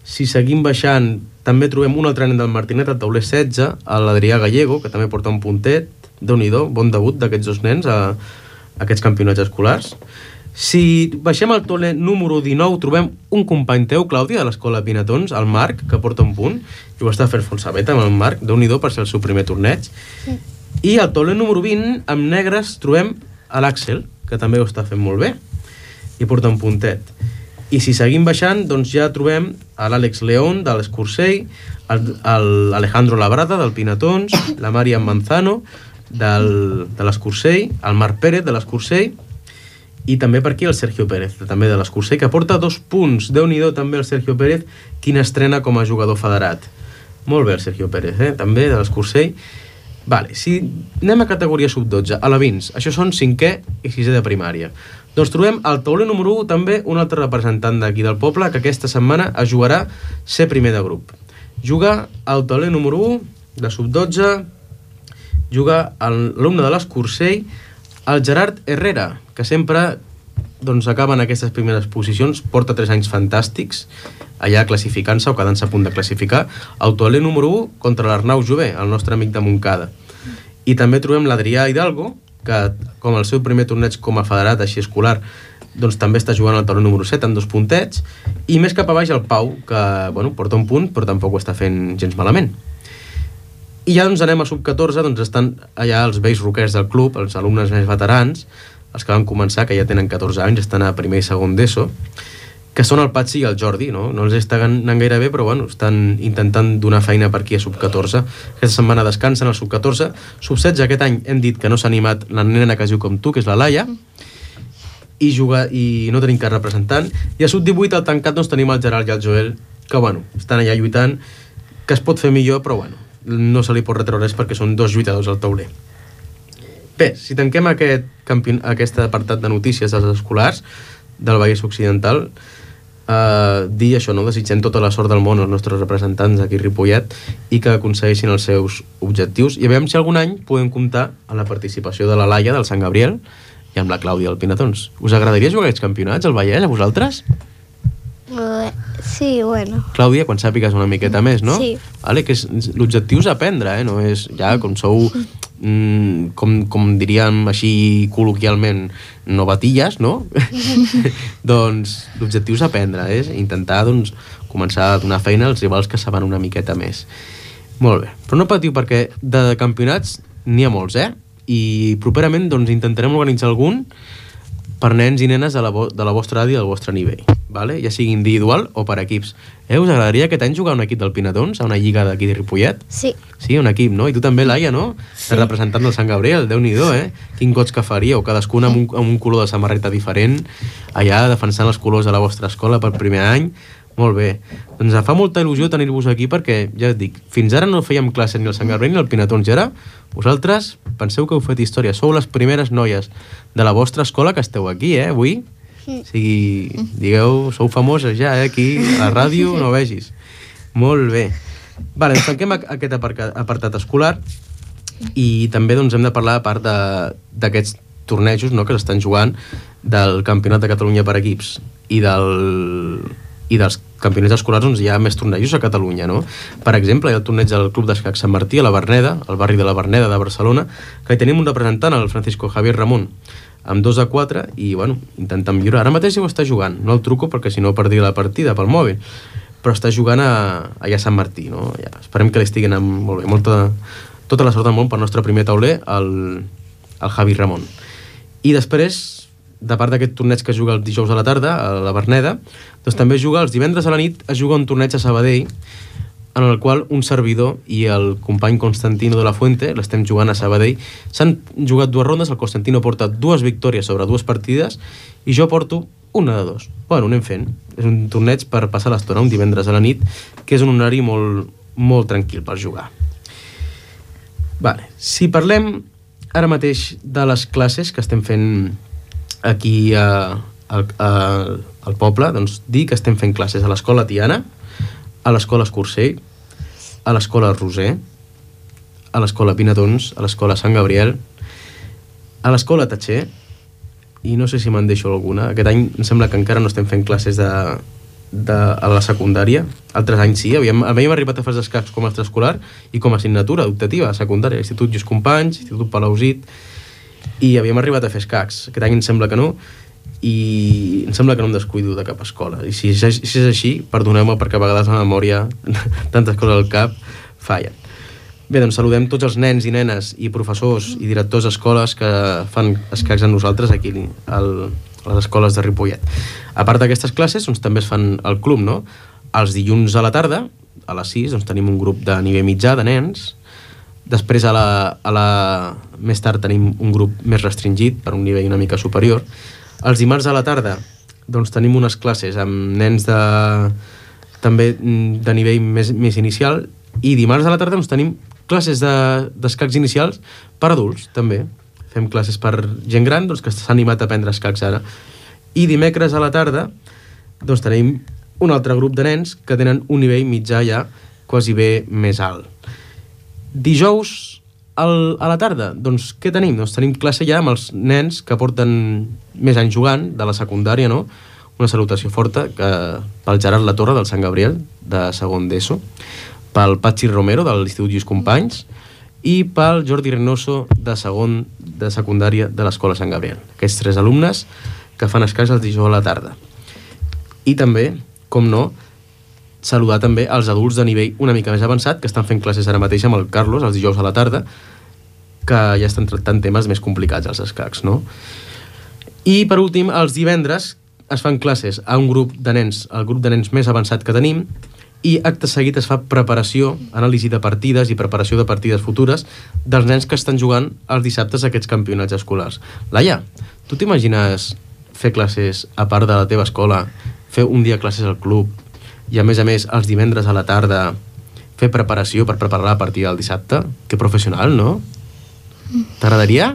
[SPEAKER 2] Si seguim baixant, també trobem un altre nen del Martinet, el tauler setze, l'Adrià Gallego, que també porta un puntet. Déu-n'hi-do, bon debut d'aquests dos nens a, a aquests campionats escolars. Si baixem al tauler número dinou, trobem un company teu, Clàudia, de l'escola Pinatons, el Marc, que porta un punt, i ho està fent força bé amb el Marc, Déu-n'hi-do per ser el seu primer torneig. Sí. I al tauler número vint, amb negres, trobem l'Àxel, que també ho està fent molt bé, i porta un puntet. I si seguim baixant, doncs ja trobem l'Àlex León, de l'Escursell, l'Alejandro Labrada, del Pinatons, la Marian Manzano, del, de l'Escursell, el Marc Pérez, de l'Escursell, i també per aquí el Sergio Pérez, també de l'Escursell, que porta dos punts. Déu-n'hi-do també el Sergio Pérez, quina estrena com a jugador federat. Molt bé el Sergio Pérez, eh? També de l'Escursell. Vale, si anem a categoria sub dotze, a la Vins, això són cinquè i sisè de primària. Doncs trobem al tauler número u també un altre representant d'aquí del poble que aquesta setmana es jugarà ser primer de grup. Juga al tauler número u de sub dotze, juga l'alumne de l'Escursell, el Gerard Herrera, que sempre doncs, acaba en aquestes primeres posicions, porta tres anys fantàstics, allà classificant-se o quedant-se a punt de classificar, el tauler número u contra l'Arnau Jové, el nostre amic de Montcada. I també trobem l'Adrià Hidalgo, que com el seu primer torneig com a federat així escolar, doncs també està jugant al tauler número set amb dos puntets, i més cap a baix el Pau, que bueno, porta un punt però tampoc ho està fent gens malament. I ja doncs anem a sub catorze, doncs estan allà els vells roquers del club, els alumnes més veterans, els que van començar, que ja tenen catorze anys, estan a primer i segon d'ESO, que són el Patxi i el Jordi, no? No els està anant gaire bé, però bueno, estan intentant donar feina per aquí a sub catorze. Aquesta setmana descansen al sub catorze. Sub setze aquest any hem dit que no s'ha animat la nena que es diu com tu, que és la Laia, i, juga, i no tenim cap representant. I a sub divuit al tancat doncs tenim el Gerard i el Joel, que bueno, estan allà lluitant, que es pot fer millor, però bueno, no se li pot retreure res perquè són dos lluitadors al tauler. Bé, si tanquem aquest, campion... aquest apartat de notícies dels escolars del Vallès Occidental, Uh, dir això, no? Desitgem tota la sort del món als nostres representants aquí a Ripollet i que aconsegueixin els seus objectius, i a veure si algun any podem comptar amb la participació de la Laia del Sant Gabriel i amb la Clàudia del Pinatons. Us agradaria jugar aquests campionats al Vallès, a vosaltres?
[SPEAKER 3] Uh, sí, bueno.
[SPEAKER 2] Clàudia, quan sàpigues una miqueta més, no?
[SPEAKER 3] Sí.
[SPEAKER 2] Vale, que és, l'objectiu és aprendre, eh? No és ja com sou, mm, com, com diríem així col·loquialment, novatilles, no? Doncs l'objectiu és aprendre, és eh? intentar doncs, començar a donar feina als rivals que saben una miqueta més. Molt bé, però no patiu perquè de campionats n'hi ha molts, eh? I properament doncs, intentarem organitzar algun per nens i nenes de la, vo de la vostra edat i del vostre nivell. vale? Ja sigui individual o per equips. Eh, us agradaria aquest any jugar a un equip del Pinatons, a una lliga d'aquí de Ripollet?
[SPEAKER 3] Sí.
[SPEAKER 2] Sí, un equip, no? I tu també, Laia, no? Sí. Representant del Sant Gabriel, Déu-n'hi-do, eh? Quin goig que faríeu, cadascun amb un, amb un color de samarreta diferent, allà defensant els colors de la vostra escola pel primer any. Molt bé. Doncs em fa molta il·lusió tenir-vos aquí perquè, ja et dic, fins ara no fèiem classes ni al Sant Gabriel ni al Pinatons, i ara vosaltres penseu que heu fet història, sou les primeres noies de la vostra escola que esteu aquí, eh, avui. O sigui, digueu, sou famoses ja, eh, aquí, a la ràdio, no vegis. Molt bé. Vale, ens tanquem aquest apartat escolar i també doncs, hem de parlar, a part d'aquests tornejos, no?, que s'estan jugant del Campionat de Catalunya per equips i, del, i dels campionats escolars, doncs hi ha més tornejos a Catalunya, no? Per exemple, hi ha el torneig del Club d'Escacs Sant Martí a la Verneda, al barri de la Verneda de Barcelona, que hi tenim un representant, el Francisco Javier Ramon, amb dos a quatre, i bueno, intentant millorar. Ara mateix ho està jugant, no el truco perquè si no perdria la partida pel mòbil, però està jugant a, allà a Sant Martí, no? Ja, esperem que li estiguin amb molt bé, molta, tota la sort del món pel nostre primer tauler, el, el Javi Ramon. I després, de part d'aquest torneig que es juga els dijous a la tarda, a la Verneda, doncs també es juga els divendres a la nit, es juga un torneig a Sabadell, en el qual un servidor i el company Constantino de la Fuente, l'estem jugant a Sabadell, s'han jugat dues rondes, el Constantino porta dues victòries sobre dues partides i jo porto una de dos. Bueno, anem fent. És un torneig per passar l'estona un divendres a la nit, que és un horari molt, molt tranquil per jugar. Vale. Si parlem ara mateix de les classes que estem fent aquí a, a, a, al poble, doncs dir que estem fent classes a l'escola Tiana, a l'escola Escursell, a l'escola Roser, a l'escola Pinatons, a l'escola Sant Gabriel, a l'escola Tatxer, i no sé si me'n deixo alguna. Aquest any em sembla que encara no estem fent classes de, de, a la secundària. Altres anys sí, havíem, havíem arribat a fer escacs com a extraescolar i com a assignatura optativa a secundària, Institut Lluís Companys, Institut Palausit, i havíem arribat a fer escacs. Aquest any em sembla que no, i em sembla que no em descuido de cap escola. I si, si és així, perdoneu-me perquè a vegades la memòria, tantes coses al cap, fallen. Bé, doncs saludem tots els nens i nenes i professors i directors d'escoles que fan escacs amb nosaltres aquí al, a les escoles de Ripollet. A part d'aquestes classes, doncs, també es fan al club, no? Els dilluns a la tarda, a les sis, doncs, tenim un grup de nivell mitjà de nens. Després, a la, a la... més tard, tenim un grup més restringit per un nivell una mica superior. Els dimarts a la tarda doncs, tenim unes classes amb nens de, també de nivell més, més inicial, i dimarts a la tarda doncs, tenim classes d'escacs de, inicials per adults, també. Fem classes per gent gran doncs, que s'ha animat a aprendre escacs ara. I dimecres a la tarda doncs, tenim un altre grup de nens que tenen un nivell mitjà ja quasi bé més alt. Dijous Al, a la tarda, doncs què tenim? Doncs tenim classe ja amb els nens que porten més anys jugant, de la secundària, no? Una salutació forta que, pel Gerard Latorre, del Sant Gabriel, de segon d'ESO, pel Patxi Romero, de l'Institut Lluís Companys, i pel Jordi Reynoso, de segon de secundària de l'Escola Sant Gabriel. Aquests tres alumnes que fan escacs el dijous a la tarda. I també, com no, saludar també els adults de nivell una mica més avançat que estan fent classes ara mateix amb el Carlos els dijous a la tarda, que ja estan tractant temes més complicats als escacs, no? I per últim, els divendres es fan classes a un grup de nens, el grup de nens més avançat que tenim, i acte seguit es fa preparació, anàlisi de partides i preparació de partides futures dels nens que estan jugant els dissabtes a aquests campionats escolars. Laia, tu t'imagines fer classes a part de la teva escola, fer un dia classes al club, i a més a més els divendres a la tarda fer preparació per preparar la partida del dissabte? Que professional, no? T'agradaria?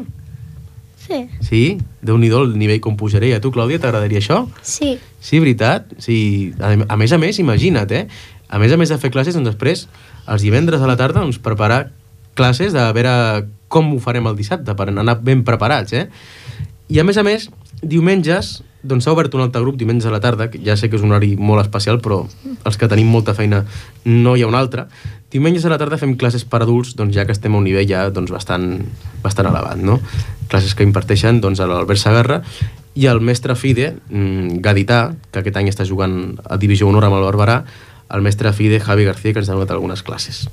[SPEAKER 3] Sí.
[SPEAKER 2] Sí? Déu-n'hi-do el nivell com pujaré. A tu, Clàudia, t'agradaria això?
[SPEAKER 3] Sí.
[SPEAKER 2] Sí, veritat? Sí. A, a més a més, imagina't, eh? A més a més de fer classes, doncs després, els divendres a la tarda, doncs preparar classes de veure com ho farem el dissabte, per anar ben preparats, eh? I a més a més, diumenges, doncs s'ha obert un altre grup diumenge a la tarda, que ja sé que és un horari molt especial, però els que tenim molta feina no hi ha un altre. Diumenges a la tarda fem classes per adults, doncs ja que estem a un nivell ja doncs, bastant, bastant elevat, no? Classes que imparteixen doncs, a l'Albert Sagarra i el mestre Fide, mmm, gadità, que aquest any està jugant a Divisió Honor amb el Barberà, el mestre Fide Javi García, que ens ha donat algunes classes.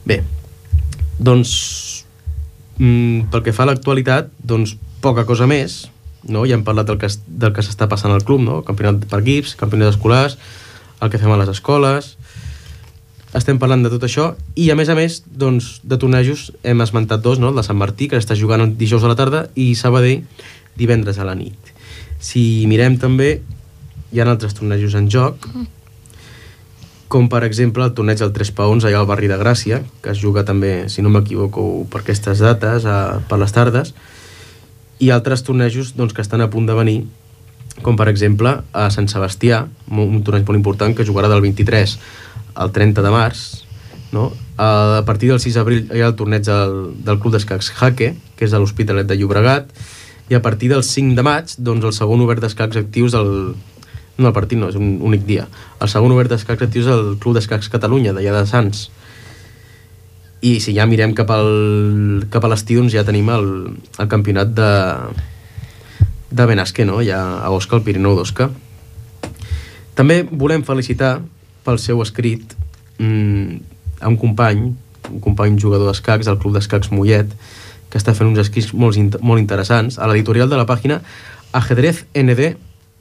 [SPEAKER 2] Bé, doncs, mmm, pel que fa a l'actualitat, doncs poca cosa més. no? Ja hem parlat del que, del que s'està passant al club, no? Campionat per equips, campionats escolars, el que fem a les escoles. Estem parlant de tot això i, a més a més, doncs, de tornejos hem esmentat dos, no? El de Sant Martí, que està jugant dijous a la tarda, i Sabadell divendres a la nit. Si mirem també, hi ha altres tornejos en joc, com per exemple el torneig del tres paons allà al barri de Gràcia, que es juga també, si no m'equivoco, per aquestes dates, a, per les tardes, i altres tornejos doncs, que estan a punt de venir, com per exemple a Sant Sebastià, un torneig molt important que jugarà del vint-i-tres al trenta de març, no? A partir del sis d'abril hi ha el torneig del, del Club d'Escacs Jaque, que és a l'Hospitalet de Llobregat, i a partir del cinc de maig, doncs el segon obert d'escacs actius del... No, el partit no, és un únic dia. El segon obert d'escacs actius del Club d'Escacs Catalunya, d'allà de Sants. I si ja mirem cap, al, cap a l'estiu, doncs ja tenim el, el campionat de, de Benasque, no? Ja a Osca, el Pirineu d'Osca. També volem felicitar pel seu escrit mmm, a un company, un company jugador d'escacs, del Club d'Escacs Mollet, que està fent uns escrits molt, molt interessants, a l'editorial de la pàgina ajedrez ene de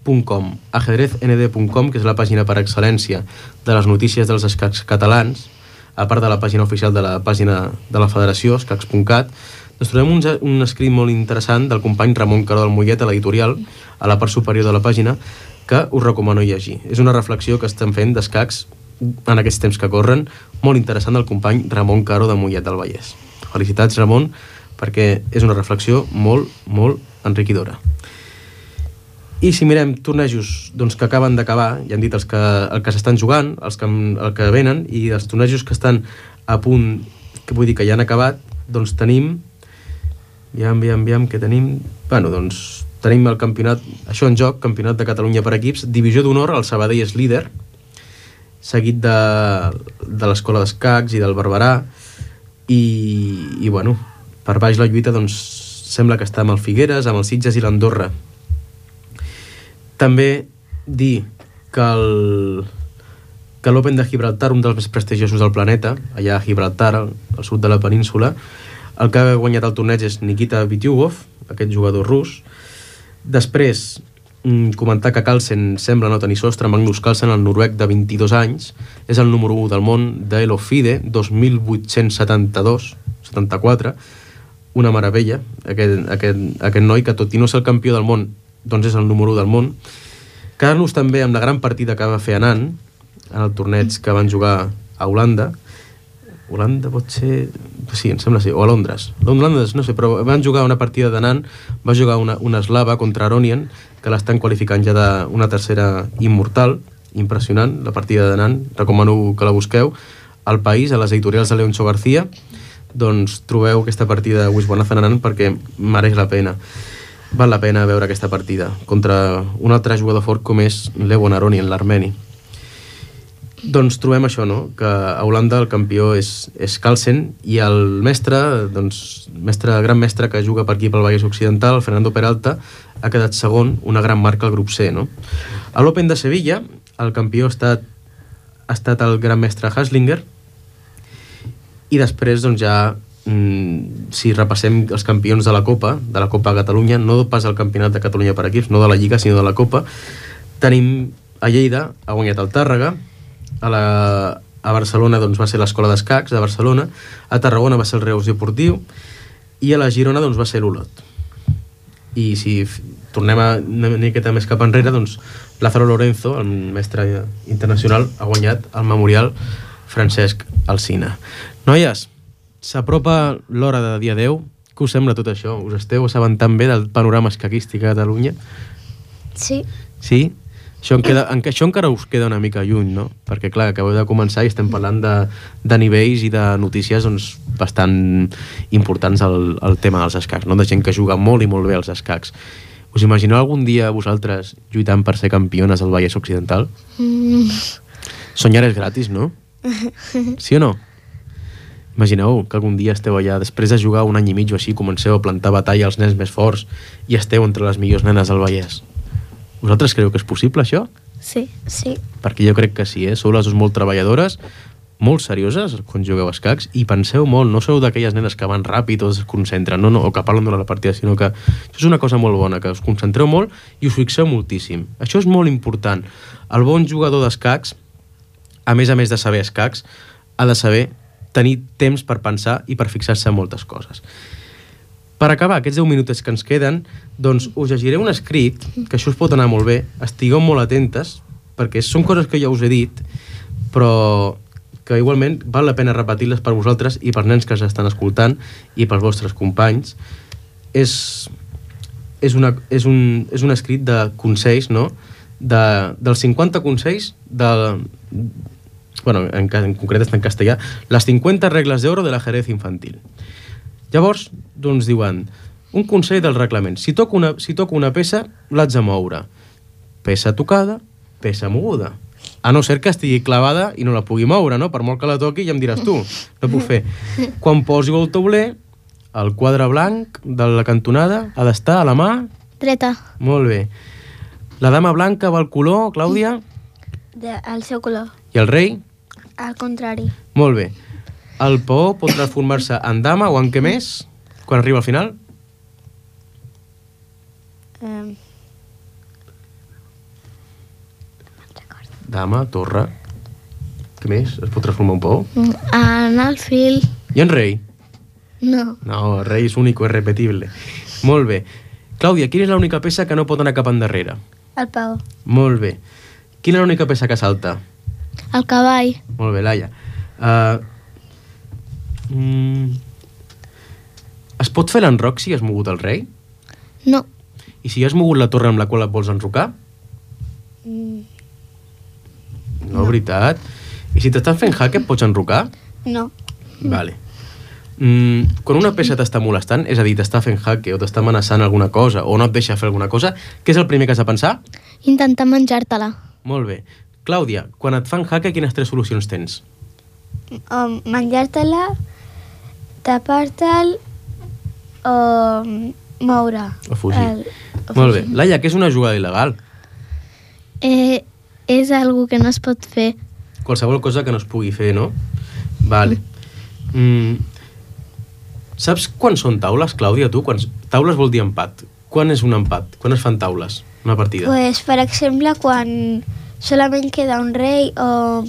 [SPEAKER 2] punt com, ajedrez ene de punt com, que és la pàgina per excel·lència de les notícies dels escacs catalans, a part de la pàgina oficial de la pàgina de la Federació, escacs punt cat. Ens trobem un, un escrit molt interessant del company Ramon Caró del Mollet a l'editorial, a la part superior de la pàgina, que us recomano llegir. És una reflexió que estem fent d'escacs en aquests temps que corren, molt interessant del company Ramon Caró de Mollet del Vallès. Felicitats, Ramon, perquè és una reflexió molt, molt enriquidora. I si mirem tornejos doncs, que acaben d'acabar, ja hem dit els que, el que s'estan jugant, els que, el que venen, i els tornejos que estan a punt, que vull dir que ja han acabat, doncs tenim, aviam, aviam, aviam, que tenim, bueno, doncs tenim el campionat, això en joc, Campionat de Catalunya per equips, divisió d'honor, el Sabadell és líder, seguit de, de l'Escola d'Escacs i del Barberà, i, i bueno, per baix la lluita, doncs, sembla que està amb el Figueres, amb el Sitges i l'Andorra. També dir que el que l'Open de Gibraltar, un dels més prestigiosos del planeta, allà a Gibraltar, al, al sud de la península, el que ha guanyat el torneig és Nikita Vityugov, aquest jugador rus. Després, comentar que Carlsen sembla no tenir sostre. Magnus Carlsen, el noruec de vint-i-dos anys, és el número u del món de Elo FIDE, dos mil vuit-cents setanta-dos, setanta-quatre, una meravella, aquest, aquest, aquest noi que tot i no ser el campió del món, doncs és el número u del món. Quedar-nos també amb la gran partida que va fer Anand en el torneig que van jugar a Holanda. Holanda pot ser... Sí, em sembla sí, o a Londres. Londres, no sé, però van jugar una partida d'Anand, va jugar una, una eslava contra Aronian, que l'estan qualificant ja d'una tercera immortal, impressionant, la partida d'Anand, recomano que la busqueu. Al País, a les editorials de Leoncho García, doncs trobeu aquesta partida de Wiswanath Anand perquè mereix la pena. Val la pena veure aquesta partida contra un altre jugador fort com és Levon Aronian, l'armeni. Doncs trobem això, no? Que a Holanda el campió és, és Carlsen i el mestre, doncs, mestre, gran mestre que juga per aquí pel Vallès Occidental, el Fernando Peralta, ha quedat segon, una gran marca al grup C, no? A l'Open de Sevilla el campió ha estat, ha estat el gran mestre Haslinger i després doncs ja si repassem els campions de la Copa, de la Copa Catalunya, no pas el Campionat de Catalunya per equips, no de la Lliga, sinó de la Copa, tenim a Lleida, ha guanyat el Tàrrega, a, la, a Barcelona doncs, va ser l'Escola d'Escacs de Barcelona, a Tarragona va ser el Reus Deportiu i a la Girona doncs, va ser l'Olot. I si tornem a una miqueta més cap enrere, doncs Lázaro Lorenzo, el mestre internacional, ha guanyat el Memorial Francesc Alsina. Noies, s'apropa l'hora de dia deu. Què us sembla tot això? Us esteu assabentant bé del panorama escaquístic a Catalunya?
[SPEAKER 3] Sí.
[SPEAKER 2] Sí? Això, en queda, en, això encara us queda una mica lluny, no? Perquè, clar, acabeu de començar i estem parlant de, de nivells i de notícies doncs, bastant importants al, al tema dels escacs, no? De gent que juga molt i molt bé als escacs. Us imagineu algun dia vosaltres lluitant per ser campiones al Vallès Occidental? Mm. Soñar és gratis, no? Sí o no? Imagineu que algun dia esteu allà, després de jugar un any i mig o així, comenceu a plantar batalla als nens més forts i esteu entre les millors nenes del Vallès. Vosaltres creu que és possible, això?
[SPEAKER 4] Sí.
[SPEAKER 3] Sí.
[SPEAKER 2] Perquè jo crec que sí, eh? Sou les dues molt treballadores, molt serioses quan jugueu a escacs i penseu molt, no sou d'aquelles nenes que van ràpid o es concentren, no, no, o que parlen durant la partida, sinó que això és una cosa molt bona, que us concentreu molt i us fixeu moltíssim. Això és molt important. El bon jugador d'escacs, a més a més de saber escacs, ha de saber tenir temps per pensar i per fixar-se en moltes coses. Per acabar, aquests deu minuts que ens queden, doncs us llegiré un escrit, que això us pot anar molt bé, estigueu molt atentes, perquè són coses que ja us he dit, però que igualment val la pena repetir-les per vosaltres i pels nens que els estan escoltant i pels vostres companys. És, és, una, és, un, és un escrit de consells, no? De, dels cinquanta consells de... Bueno, en, en concret està en castellà, les cinquanta regles d'oro de l'ajedrez infantil. Llavors, doncs diuen, un consell del reglament. Si toco una, si toco una peça, l'haig de moure. Peça tocada, peça moguda. A no ser que estigui clavada i no la pugui moure, no? Per molt que la toqui ja em diràs tu. No puc fer. Quan posi el tauler, el quadre blanc de la cantonada ha d'estar a la mà...
[SPEAKER 4] Dreta.
[SPEAKER 2] Molt bé. La dama blanca va al color, Clàudia?
[SPEAKER 3] De, el seu color.
[SPEAKER 2] I el rei?
[SPEAKER 3] Al contrari.
[SPEAKER 2] Molt bé. El peó pot transformar-se en dama o en què més quan arriba al final?
[SPEAKER 3] Um...
[SPEAKER 2] Dama, torre... Què més? Es pot transformar un peó?
[SPEAKER 4] En alfil...
[SPEAKER 2] I en rei?
[SPEAKER 4] No.
[SPEAKER 2] No, el rei és únic o irrepetible. Molt bé. Clàudia, quina és l'única peça que no pot anar cap endarrere?
[SPEAKER 3] El peó.
[SPEAKER 2] Molt bé. Quina és l'única peça que salta?
[SPEAKER 4] El cavall.
[SPEAKER 2] Molt bé, Laia. Uh, mm, es pot fer l'enroc si has mogut el rei?
[SPEAKER 4] No.
[SPEAKER 2] I si has mogut la torre amb la qual et vols enrocar?
[SPEAKER 3] Mm,
[SPEAKER 2] No, veritat. I si t'estan fent jaque, et pots enrocar?
[SPEAKER 3] no.
[SPEAKER 2] Vale. Mm, quan una peça t'està molestant, és a dir, t'està fent jaque o t'està amenaçant alguna cosa o no et deixa fer alguna cosa, què és el primer que has de pensar?
[SPEAKER 4] Intentar menjar-te-la.
[SPEAKER 2] Molt bé. Clàudia, quan et fan jaque, quines tres solucions tens?
[SPEAKER 3] O menjar-te-la, tapar-te'l o moure.
[SPEAKER 2] O fugir.
[SPEAKER 3] El, o
[SPEAKER 2] Molt bé.
[SPEAKER 3] fugir.
[SPEAKER 2] Laia, què és una jugada il·legal?
[SPEAKER 4] Eh, és algo que no es pot fer.
[SPEAKER 2] Qualsevol cosa que no es pugui fer, no? Vale. Mm. Saps quan són taules, Clàudia, tu? Quan... Taules vol dir empat. Quan és un empat? Quan es fan taules? Una partida?
[SPEAKER 3] Pues, per exemple, quan solament queda un rei o...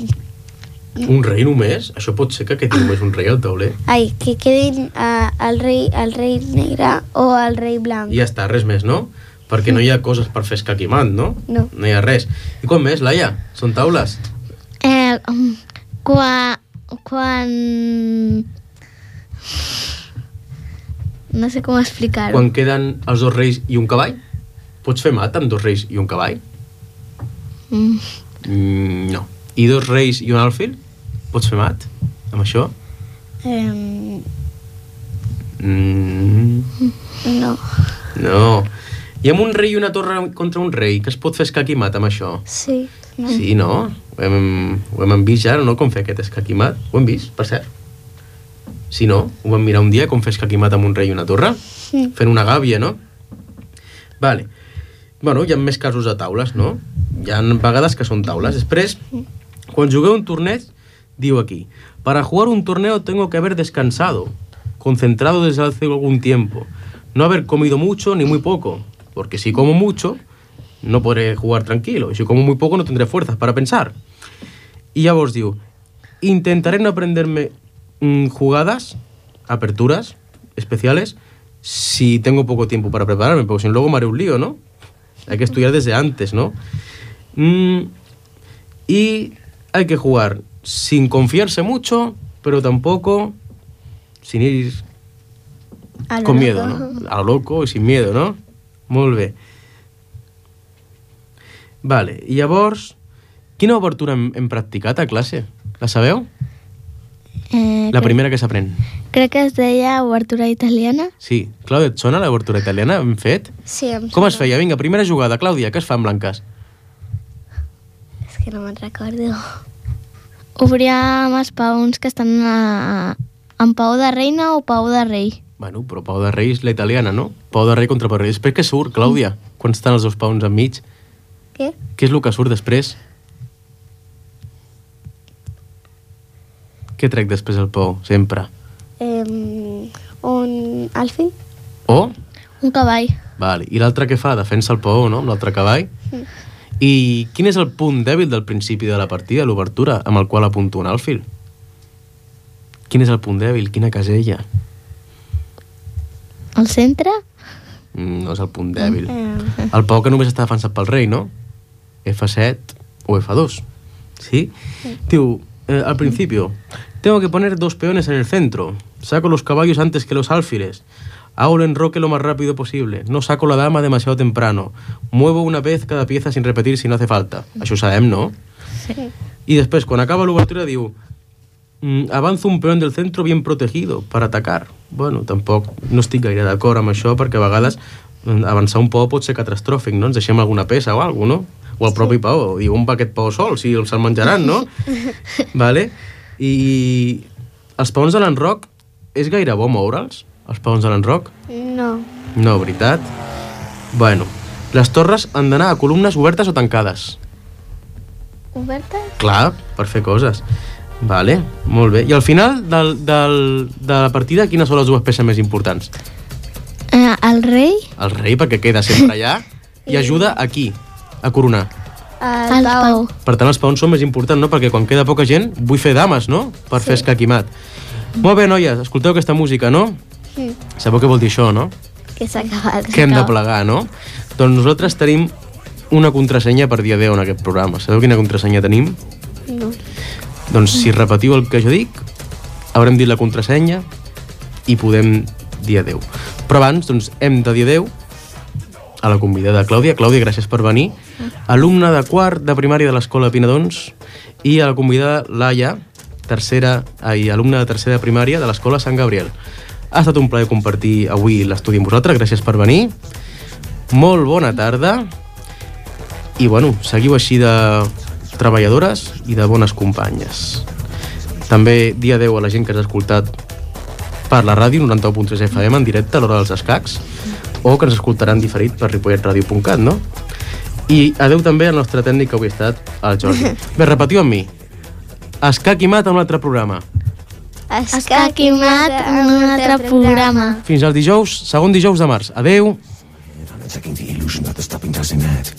[SPEAKER 2] Un rei només? Això pot ser que quedi només un rei al tauler?
[SPEAKER 3] Ai, que quedin uh, el, rei, el rei negre o el rei blanc.
[SPEAKER 2] I ja està, res més, no? Perquè no hi ha coses per fer escaquimat, no?
[SPEAKER 3] No.
[SPEAKER 2] No hi ha res. I quan més, Laia? Són taules?
[SPEAKER 4] Eh, quan... Quan... No sé com explicar-ho.
[SPEAKER 2] Quan queden els dos reis i un cavall? Pots fer mat amb dos reis i un cavall?
[SPEAKER 4] Mm.
[SPEAKER 2] Mm, no. I dos reis i un alfil? Pots fer mat amb això?
[SPEAKER 3] Um,
[SPEAKER 2] Mm,
[SPEAKER 3] no.
[SPEAKER 2] no. I amb un rei i una torre contra un rei, que es pot fer escaquimat amb això?
[SPEAKER 3] Sí. No.
[SPEAKER 2] Sí, no? Ho hem, ho hem vist ja, no? Com fer aquest escaquimat. Ho hem vist, per cert. Sí, no? Ho vam mirar un dia, com fer escaquimat amb un rei i una torre?
[SPEAKER 3] Sí.
[SPEAKER 2] Fent una gàbia, no? Vale. Bueno, hi ha més casos de taules, no? Hi ha vegades que són taules. Després, quan jugueu un torneig, diu aquí, para jugar un torneo tengo que haber descansado, concentrado desde hace algún tiempo, no haber comido mucho ni muy poco, porque si como mucho, no podré jugar tranquilo, y si como muy poco no tendré fuerzas para pensar. Y ya vos digo, intentaré no aprenderme mmm, jugadas, aperturas especiales, si tengo poco tiempo para prepararme, porque si no luego me haré un lío, ¿no? Hay que estudiar desde antes, ¿no? Mm, y hay que jugar sin confiarse mucho, pero tampoco sin ir
[SPEAKER 3] A lo
[SPEAKER 2] con
[SPEAKER 3] loco.
[SPEAKER 2] miedo, ¿no? A lo loco y sin miedo, no? Molt bé. Vale, i llavors, quina obertura hem, hem practicat a classe? La sabeu?
[SPEAKER 4] Eh,
[SPEAKER 2] La
[SPEAKER 4] crec-
[SPEAKER 2] primera que s'aprèn.
[SPEAKER 4] Crec que es deia obertura italiana.
[SPEAKER 2] Sí. Clàudia, et sona l'obertura italiana? Hem fet?
[SPEAKER 3] Sí, em
[SPEAKER 2] Com es
[SPEAKER 3] sona.
[SPEAKER 2] feia? Vinga, primera jugada. Clàudia, què es fa en blanques?
[SPEAKER 3] És que no me'n recordo.
[SPEAKER 4] Obríem els paons que estan a, en pau de reina o pau de rei.
[SPEAKER 2] Bueno, però Pau de Rei és la italiana, no? Pau de Rei contra Pau de Rei. Després què surt, Clàudia? Quan estan els dos paons enmig?
[SPEAKER 3] Què?
[SPEAKER 2] Què és el que surt després? Què trec després el pou, sempre?
[SPEAKER 3] Eh, un alfil.
[SPEAKER 2] O?
[SPEAKER 4] Un cavall.
[SPEAKER 2] Vale. I l'altre què fa? Defensa el pou, no? Amb l'altre cavall.
[SPEAKER 3] Mm.
[SPEAKER 2] I quin és el punt dèbil del principi de la partida, l'obertura, amb el qual apunto un alfil? Quin és el punt dèbil? Quina casella?
[SPEAKER 4] Al centre?
[SPEAKER 2] Mm, no és el punt dèbil.
[SPEAKER 3] Eh,
[SPEAKER 2] El pou que només està defensat pel rei, no? F set o F dos. ¿Sí? Tío, eh, al principio, tengo que poner dos peones en el centro. Saco los caballos antes que los alfiles. Hago el enroque lo más rápido posible. No saco la dama demasiado temprano. Muevo una vez cada pieza sin repetir si no hace falta. Això ho sabem, no?
[SPEAKER 4] Sí.
[SPEAKER 2] Y después, quan acaba l'obertura, diu mm, avanzo un peón del centro bien protegido para atacar. Bueno, tampoc no estic gaire d'acord amb això, perquè a vegades mm, avançar un pou pot ser catastròfic, no? Ens deixem alguna peça o alguna cosa, no? O el propi pau, diu, on va aquest pau sol? Si se'l menjaran, no? Vale? I els peons de l'enroc, és gaire bo moure'ls, els peons de l'enroc?
[SPEAKER 3] no.
[SPEAKER 2] No, veritat? Bueno, les torres han d'anar a columnes obertes o tancades?
[SPEAKER 3] Obertes?
[SPEAKER 2] Clar, per fer coses. Vale, molt bé. I al final del, del, de la partida, quines són les dues peces més importants?
[SPEAKER 4] Eh, el rei?
[SPEAKER 2] El rei, perquè queda sempre allà, i ajuda a qui? A coronar.
[SPEAKER 3] El,
[SPEAKER 4] El
[SPEAKER 3] pau.
[SPEAKER 4] pau.
[SPEAKER 2] Per tant, els peons són més importants, no? Perquè quan queda poca gent, vull fer dames, no? Per fer escaquimat. Molt bé, noies, escolteu aquesta música, no?
[SPEAKER 3] Sí.
[SPEAKER 2] Sabeu què vol dir això, no?
[SPEAKER 3] Que s'ha acabat.
[SPEAKER 2] Que hem de plegar, no? Doncs nosaltres tenim una contrasenya per dia deu en aquest programa. Sabeu quina contrasenya tenim?
[SPEAKER 3] No.
[SPEAKER 2] Doncs si repetiu el que jo dic, haurem dit la contrasenya i podem dir adeu. Però abans, doncs, hem de dir adeu a la convidada Clàudia. Clàudia, gràcies per venir. Alumna de quart de primària de l'Escola Pinadons, i a la convidada Laia, tercera, ai, alumna de tercera de primària de l'Escola Sant Gabriel. Ha estat un plaer compartir avui l'estudi amb vosaltres. Gràcies per venir. Molt bona tarda. I, bueno, seguiu així de treballadores i de bones companyes. També dia adeu a la gent que ens ha escoltat per la ràdio noranta u punt tres F M en directe a l'hora dels escacs, o que ens escoltaran diferit per ripollet ràdio punt cat, no? I adeu també al nostre tècnic que avui ha estat el Jordi. Bé, repetiu amb mi. Escac i mat en un altre programa.
[SPEAKER 4] Escac i mat en un altre programa.
[SPEAKER 2] Fins al dijous, segon dijous de març. Adeu.
[SPEAKER 1] I'm attacking the illusion that the stopping doesn't add.